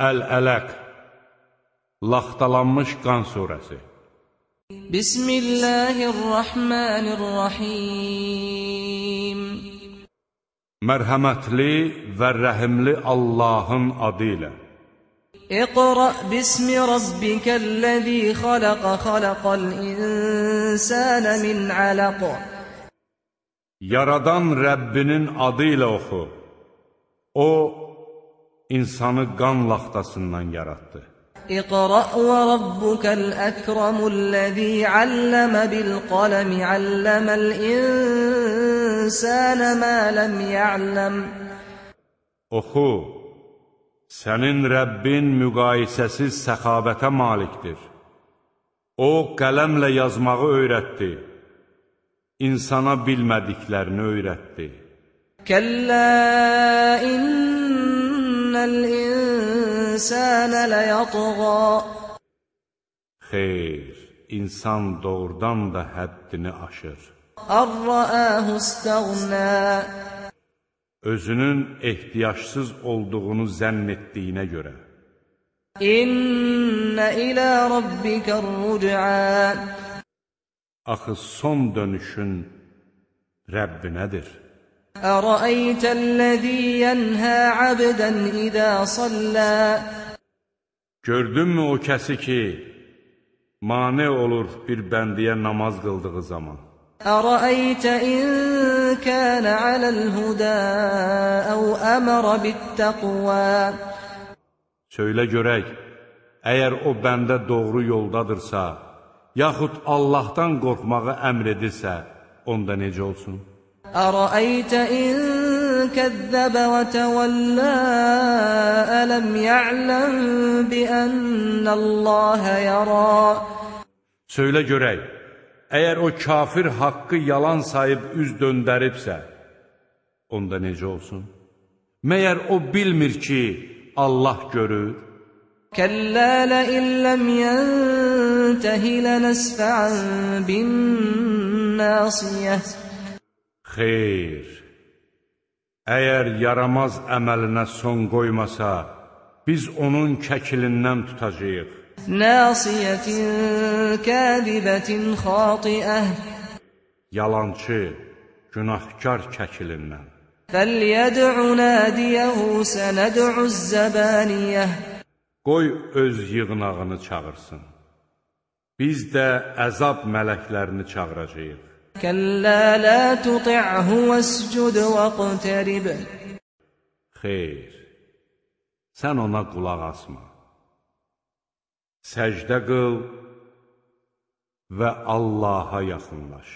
Əl-Ələq, Laxtalanmış qan surəsi. Bismillahirrahmanirrahim. Mərhəmətli və rəhimli Allahın adı ilə. İqra bismi rabbikəl-ləzî xaləqə xaləqəl insənə min ələq. Yaradan Rəbbinin adı ilə oxu. O, insanı qan laxtasından yaratdı. İqra və rabbukəl-əkramul-ləzî alləmə bil-qələmi alləməl insənə mə ləm ya'ləm. Oxu, sənin Rəbbin müqayisəsiz səxavətə malikdir. O, qələmlə yazmağı öyrətdi, insana bilmədiklərini öyrətdi. Kəllə innəl insənə ləyatğā. Xeyr, insan doğrudan da həddini aşır. Ər-rəəhu istəğnə. Özünün ehtiyacsız olduğunu zənn etdiyinə görə. İnnə ilə rabbikər-rüc'ə. Axı son dönüşün Rəbbinədir. Ərəəytəl-ləzî yənhə abdən idə sallə. Gördünmü o kəsi ki, mane olur bir bəndiyə namaz qıldığı zaman? Ərəəytə in kənə aləl-hudə əv əmərə bit-təqvə. Söylə görək, əgər o bəndə doğru yoldadırsa, yaxud Allahdan qorxmağı əmr edirsə, onda necə olsun? Ərəəytə in kəzzəbə və təvəllə ələm ya'ləm biənnəlləhə yərə. Söylə görək, əgər o kafir haqqı yalan sayıb üz döndəribsə, onda necə olsun? Məyər o bilmir ki, Allah görür? Kəllə ləin ləm yəntəhi lənəsfəən bin-nəsiyə. Xeyr, əgər yaramaz əməlinə son qoymasa, biz onun kəkilindən tutacağıq. Nəsiyyətin kəzibətin xatiə. Yalançı, günahkar kəkilindən. Fəlyəd'u nədiyəhu sənəd'u-z-zəbaniyə. Qoy öz yığınağını çağırsın. Biz də əzab mələklərini çağıracağıq. Kəllə lə tuti'hu vəscud vəqtərib. Xeyr, sən ona qulaq asma. Səcdə qıl və Allaha yaxınlaş.